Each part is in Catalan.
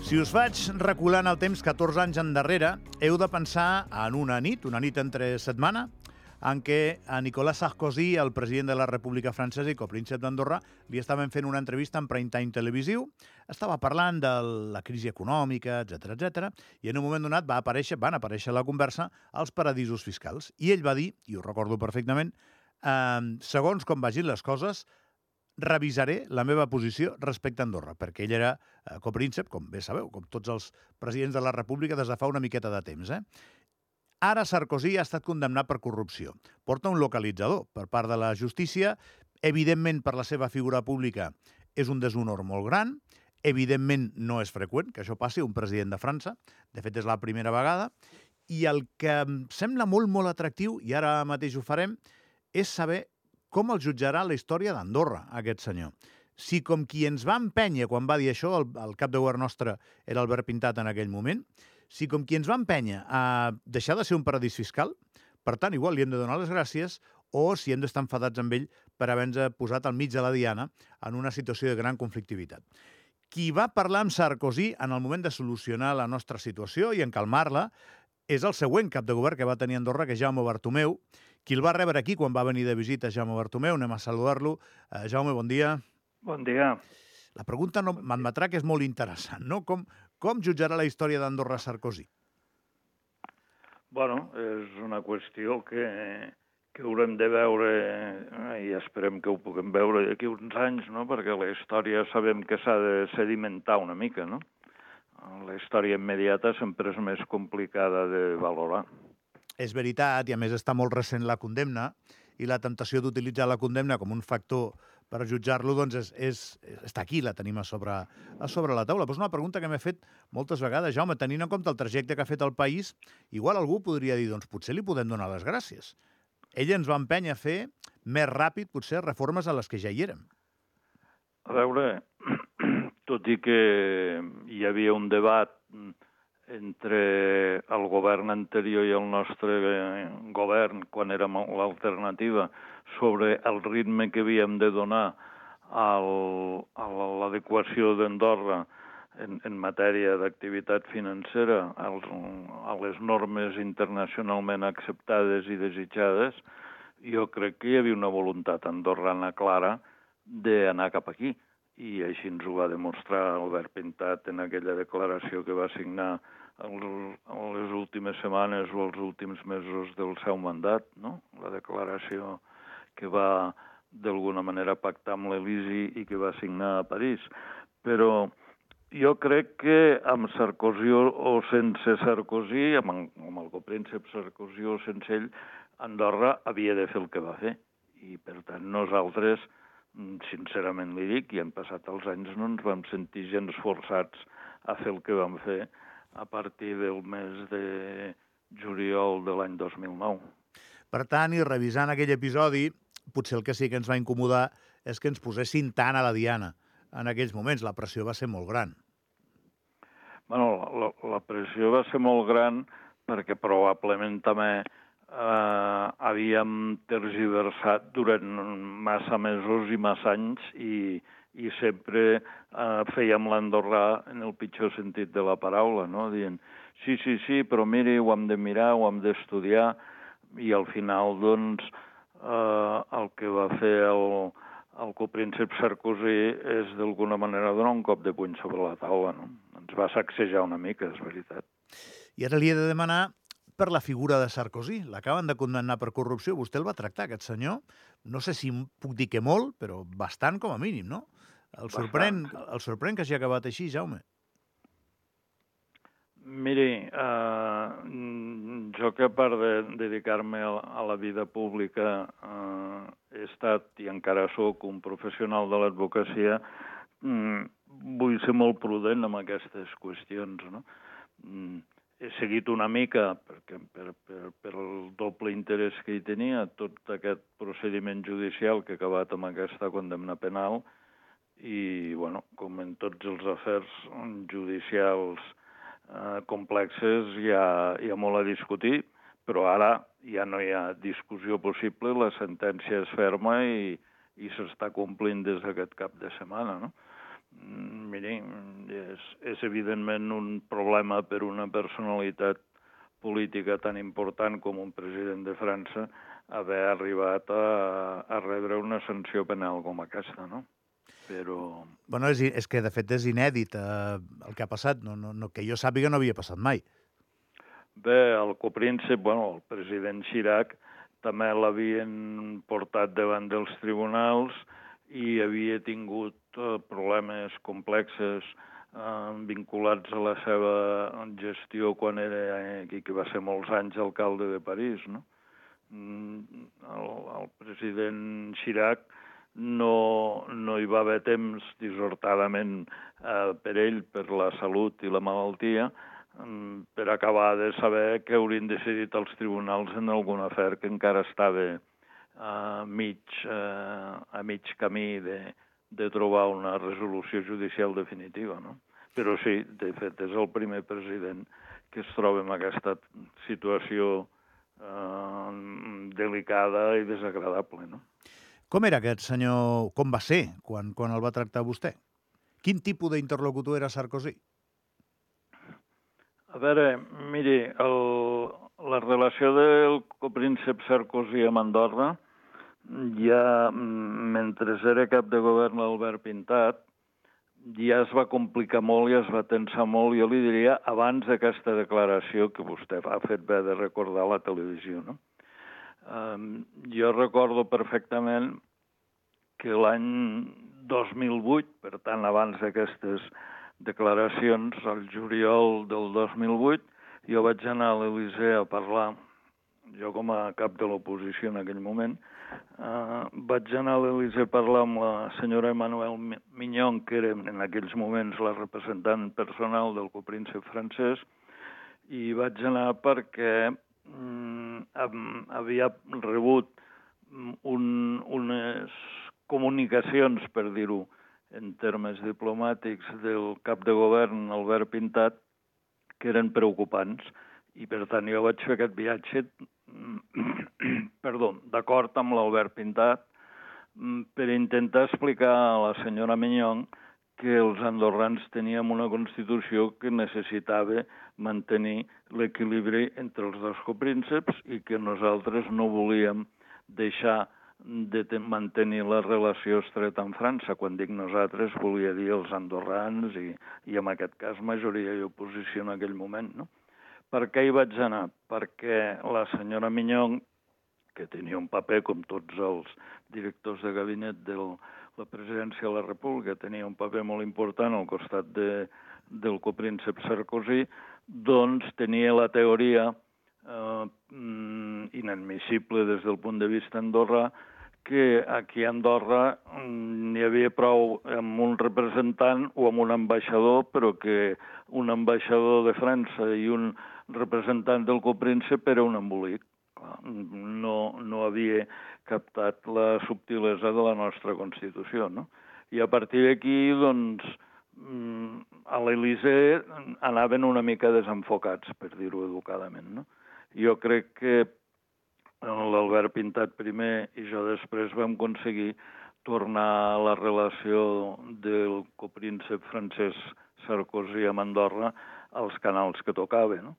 Si us faig recular en el temps 14 anys endarrere, heu de pensar en una nit entre setmana, en què a Nicolas Sarkozy, el president de la República Francesa i copríncep d'Andorra, li estaven fent una entrevista en prime time televisiu, estava parlant de la crisi econòmica, etc, i en un moment donat van aparèixer a la conversa els paradisos fiscals. I ell va dir, i ho recordo perfectament, segons com vagin les coses, revisaré la meva posició respecte a Andorra, perquè ell era copríncep, com bé sabeu, com tots els presidents de la República des de fa una miqueta de temps. Ara Sarkozy ha estat condemnat per corrupció. Porta un localitzador per part de la justícia. Evidentment, per la seva figura pública, és un deshonor molt gran. Evidentment, no és freqüent que això passi a un president de França. De fet, és la primera vegada. I el que em sembla molt, molt atractiu, i ara mateix ho farem, és saber com el jutjarà la història d'Andorra, aquest senyor. Si com qui ens va empènyer quan va dir això, el cap de govern nostre era Albert Pintat en aquell moment, si com qui ens va empènyer a deixar de ser un paradís fiscal, per tant, igual li hem de donar les gràcies, o si hem d'estar enfadats amb ell per haver-nos posat al mig de la diana en una situació de gran conflictivitat. Qui va parlar amb Sarkozy en el moment de solucionar la nostra situació i en calmar-la és el següent cap de govern que va tenir Andorra, que és Jaume Bartomeu, qui el va rebre aquí quan va venir de visita Jaume Bartomeu. Anem a saludar-lo. Jaume, bon dia. Bon dia. La pregunta m'admetrà que és molt interessant, no? Com jutjarà la història d'Andorra Sarkozy? Bueno, és una qüestió que haurem de veure, i esperem que ho puguem veure d'aquí uns anys, no? Perquè la història sabem que s'ha de sedimentar una mica, no? La història immediata sempre és més complicada de valorar. És veritat, i a més està molt recent la condemna, i la temptació d'utilitzar la condemna com un factor per jutjar-lo, doncs està aquí, la tenim a sobre la taula. Però és una pregunta que m'he fet moltes vegades. Jaume, tenint en compte el trajecte que ha fet el país, igual algú podria dir, doncs potser li podem donar les gràcies. Ell ens va empènyer a fer més ràpid, potser, reformes a les que ja hi érem. A veure, tot i que hi havia un debat entre el govern anterior i el nostre govern, quan érem l'alternativa, sobre el ritme que havíem de donar a l'adequació d'Andorra en matèria d'activitat financera a les normes internacionalment acceptades i desitjades, jo crec que hi havia una voluntat andorrana clara d'anar cap aquí. I així ens ho va demostrar Albert Pintat en aquella declaració que va signar en les últimes setmanes o els últims mesos del seu mandat, no? La declaració que va d'alguna manera pactar amb l'Elisi i que va signar a París. Però jo crec que amb Sarkozy o sense Sarkozy, amb el copríncep Sarkozy o sense ell, Andorra havia de fer el que va fer. I per tant nosaltres, sincerament li dic, i han passat els anys, no ens vam sentir gens forçats a fer el que vam fer a partir del mes de juliol de l'any 2009. Per tant, i revisant aquell episodi, potser el que sí que ens va incomodar és que ens posessin tant a la diana. En aquells moments la pressió va ser molt gran. Bueno, la pressió va ser molt gran perquè probablement també havíem tergiversat durant massa mesos i massa anys i sempre fèiem l'andorrà en el pitjor sentit de la paraula, no? Dient, sí, però miri, ho hem de mirar, ho hem d'estudiar, i al final, doncs, el que va fer el copríncep Sarkozy és d'alguna manera donar un cop de puny sobre la taula, no? Ens va sacsejar una mica, és veritat. I ara li he de demanar per la figura de Sarkozy. L'acaben de condemnar per corrupció. Vostè el va tractar, aquest senyor? No sé si puc dir que molt, però bastant com a mínim, no? El sorprèn que hagi acabat així, Jaume. Miri, jo que a part de dedicar-me a la vida pública he estat i encara sóc un professional de l'advocacia, vull ser molt prudent amb aquestes qüestions, no? He seguit una mica, perquè per el doble interès que hi tenia, tot aquest procediment judicial que ha acabat amb aquesta condemna penal i, bueno, com en tots els afers judicials complexes hi ha molt a discutir, però ara ja no hi ha discussió possible, la sentència és ferma i i s'està complint des d'aquest cap de setmana, no? Miri, és evidentment un problema per una personalitat política tan important com un president de França haver arribat a rebre una sanció penal com aquesta, no? Però... Bueno, és que de fet és inèdit el que ha passat. No, que jo sàpiga no havia passat mai. Bé, el copríncep, el president Chirac també l'havien portat davant dels tribunals i havia tingut problemes complexes vinculats a la seva gestió quan era aquí, que va ser molts anys alcalde de París, no? El president Chirac no hi va haver temps, dissortadament per ell, per la salut i la malaltia, per acabar de saber què haurien decidit els tribunals en algun afer que encara estava a mig camí de trobar una resolució judicial definitiva, no? Però sí, de fet, és el primer president que es troba en aquesta situació delicada i desagradable, no? Com era aquest senyor? Com va ser quan el va tractar vostè? Quin tipus d'interlocutor era Sarkozy? A veure, miri, la relació del copríncep Sarkozy amb Andorra, ja mentre era cap de govern l'Albert Pintat, ja es va complicar molt i es va tensar molt, jo li diria, abans d'aquesta declaració que vostè ha fet bé de recordar a la televisió, no? Jo recordo perfectament que l'any 2008, per tant, abans d'aquestes declaracions, al juliol del 2008, jo vaig anar a l'Elysée a parlar, jo com a cap de l'oposició en aquell moment, vaig anar a l'Elysée a parlar amb la senyora Emmanuel Mignon, que era en aquells moments la representant personal del copríncep francès, i vaig anar perquè havia rebut unes comunicacions, per dir-ho en termes diplomàtics, del cap de govern, Albert Pintat, que eren preocupants. I, per tant, jo vaig fer aquest viatge d'acord amb l'Albert Pintat per intentar explicar a la senyora Mignon que els andorrans teníem una Constitució que necessitava mantenir l'equilibri entre els dos coprínceps i que nosaltres no volíem deixar de mantenir la relació estreta amb França. Quan dic nosaltres, volia dir els andorrans i en aquest cas majoria i oposició en aquell moment, no? Per què hi vaig anar? Perquè la senyora Mignon, que tenia un paper, com tots els directors de gabinet de la presidència de la República, tenia un paper molt important al costat del copríncep Sarkozy, doncs tenia la teoria inadmissible des del punt de vista andorrà, que aquí a Andorra n'hi havia prou amb un representant o amb un ambaixador, però que un ambaixador de França i un representant del copríncep era un embolic. No havia captat la subtilesa de la nostra Constitució, no? I a partir d'aquí, doncs, a l'Elysée anaven una mica desenfocats, per dir-ho educadament, no? Jo crec que l'Albert Pintat primer i jo després vam aconseguir tornar a la relació del copríncep francès Sarkozy amb Andorra als canals que tocava, no?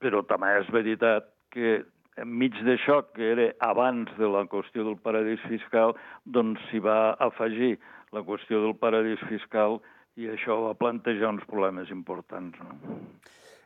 Però també és veritat que enmig d'això, que era abans de la qüestió del paradís fiscal, doncs s'hi va afegir la qüestió del paradís fiscal i això va plantejar uns problemes importants, no?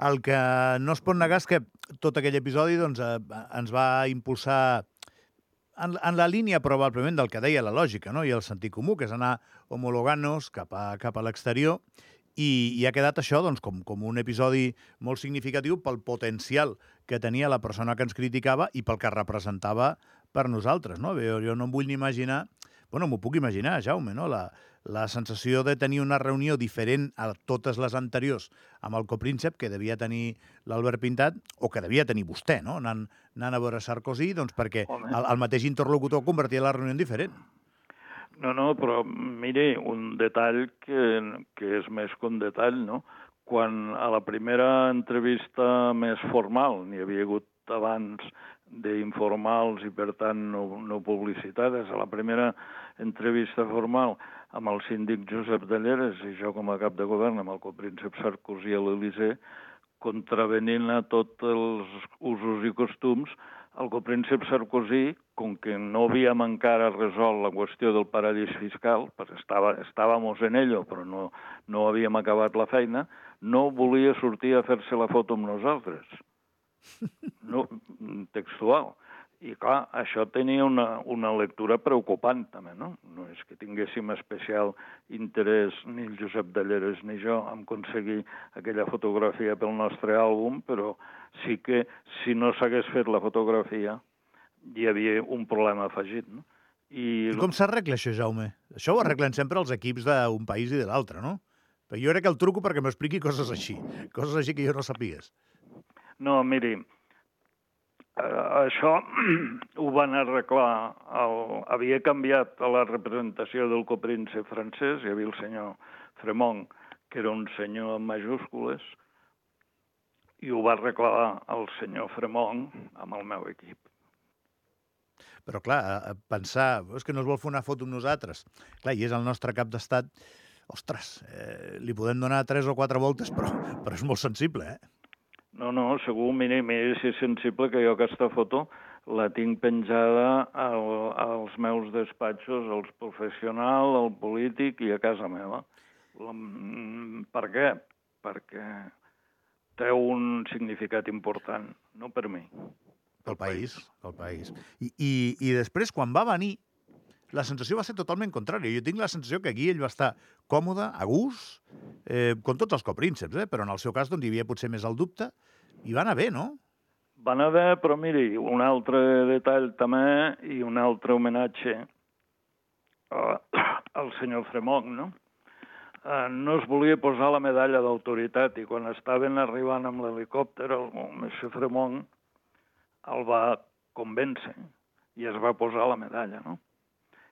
El que no es pot negar és que tot aquell episodi doncs, ens va impulsar en la línia probablement del que deia la lògica, no? I el sentit comú, que és anar homologant-nos cap a l'exterior, i ha quedat això doncs, com un episodi molt significatiu pel potencial que tenia la persona que ens criticava i pel que representava per nosaltres, no? Jo no em vull ni imaginar, m'ho puc imaginar, Jaume, no? La sensació de tenir una reunió diferent a totes les anteriors amb el copríncep que devia tenir l'Albert Pintat, o que devia tenir vostè, no? Anant a veure Sarkozy, doncs perquè el mateix interlocutor convertia la reunió en diferent. No, però mire, un detall que és més que un detall, no? Quan a la primera entrevista més formal, n'hi havia hagut abans d'informals i, per tant, no publicitades. A la primera entrevista formal amb el síndic Josep Delleres i jo com a cap de govern amb el copríncep Sarkozy a l'Elysée, contravenint a tots els usos i costums, el copríncep Sarkozy, com que no havíem encara resolt la qüestió del paradís fiscal, perquè estàvem en ello, però no havíem acabat la feina, no volia sortir a fer-se la foto amb nosaltres. No, textual. I, clar, això tenia una lectura preocupant, també, no? No és que tinguéssim especial interès, ni el Josep Delleres ni jo, en aconseguir aquella fotografia pel nostre àlbum, però sí que, si no s'hagués fet la fotografia, hi havia un problema afegit, no? I com s'arregla això, Jaume? Això ho arreglen sempre els equips d'un país i de l'altre, no? Però jo crec que el truco perquè m'expliqui coses així que jo no sapigués. No, miri, això ho van arreglar. Havia canviat a la representació del copríncep francès, hi havia el senyor Fremont, que era un senyor amb majúscules, i ho va arreglar el senyor Fremont amb el meu equip. Però, clar, pensar, és que no es vol fer una foto amb nosaltres. Clar, i és el nostre cap d'estat. Ostres, li podem donar 3 o 4 voltes, però és molt sensible, eh? No, segur, mira, si és sensible que jo aquesta foto la tinc penjada als meus despatxos, als professionals, al polític i a casa meva. Per què? Perquè té un significat important, no per mi. Pel país. I després, quan va venir, la sensació va ser totalment contrària. Jo tinc la sensació que aquí ell va estar còmode, a gust, com tots els coprínceps, però en el seu cas doncs, hi havia potser més el dubte, i va anar bé, no? Va anar bé, però miri, un altre detall també i un altre homenatge al senyor Fremont, no? No es volia posar la medalla d'autoritat i quan estaven arribant amb l'helicòpter, el monsieur Fremont el va convèncer i es va posar la medalla, no?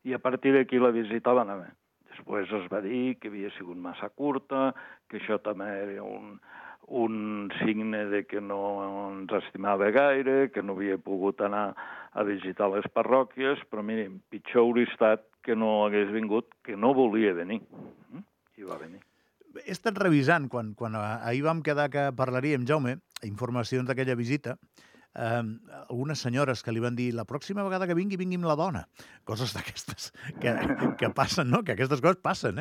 I a partir d'aquí la visita va anar bé. Després es va dir que havia sigut massa curta, que això també era un signe de que no ens estimava gaire, que no havia pogut anar a visitar les parròquies, però mirin, pitjor hauria estat que no hagués vingut, que no volia venir. I va venir. He estat revisant, quan ahir vam quedar que parlaríem, Jaume, informacions d'aquella visita, algunes senyores que li van dir la pròxima vegada que vingui amb la dona. Coses d'aquestes que passen, no? Que aquestes coses passen,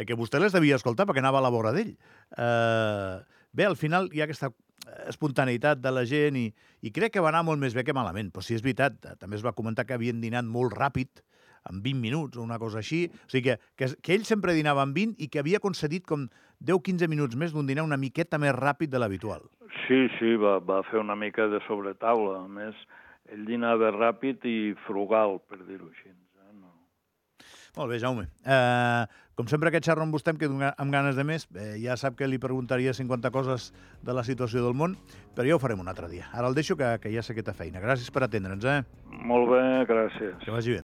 que vostè les devia escoltar perquè anava a la vora d'ell. Bé, al final hi ha aquesta espontaneïtat de la gent i crec que va anar molt més bé que malament. Però sí, és veritat, també es va comentar que havien dinat molt ràpid, en 20 minuts o una cosa així. O sigui que ell sempre dinava en 20 i que havia concedit com 10-15 minuts més d'un dinar una miqueta més ràpid de l'habitual. Sí, va fer una mica de sobretaula. A més, ell dinava ràpid i frugal, per dir-ho així. No. Molt bé, Jaume. Com sempre que xerro amb vostè em quedo amb ganes de més. Ja sap que li preguntaria 50 coses de la situació del món, però ja ho farem un altre dia. Ara el deixo, que ja sé que té feina. Gràcies per atendre'ns, Molt bé, gràcies. Que vagi bé.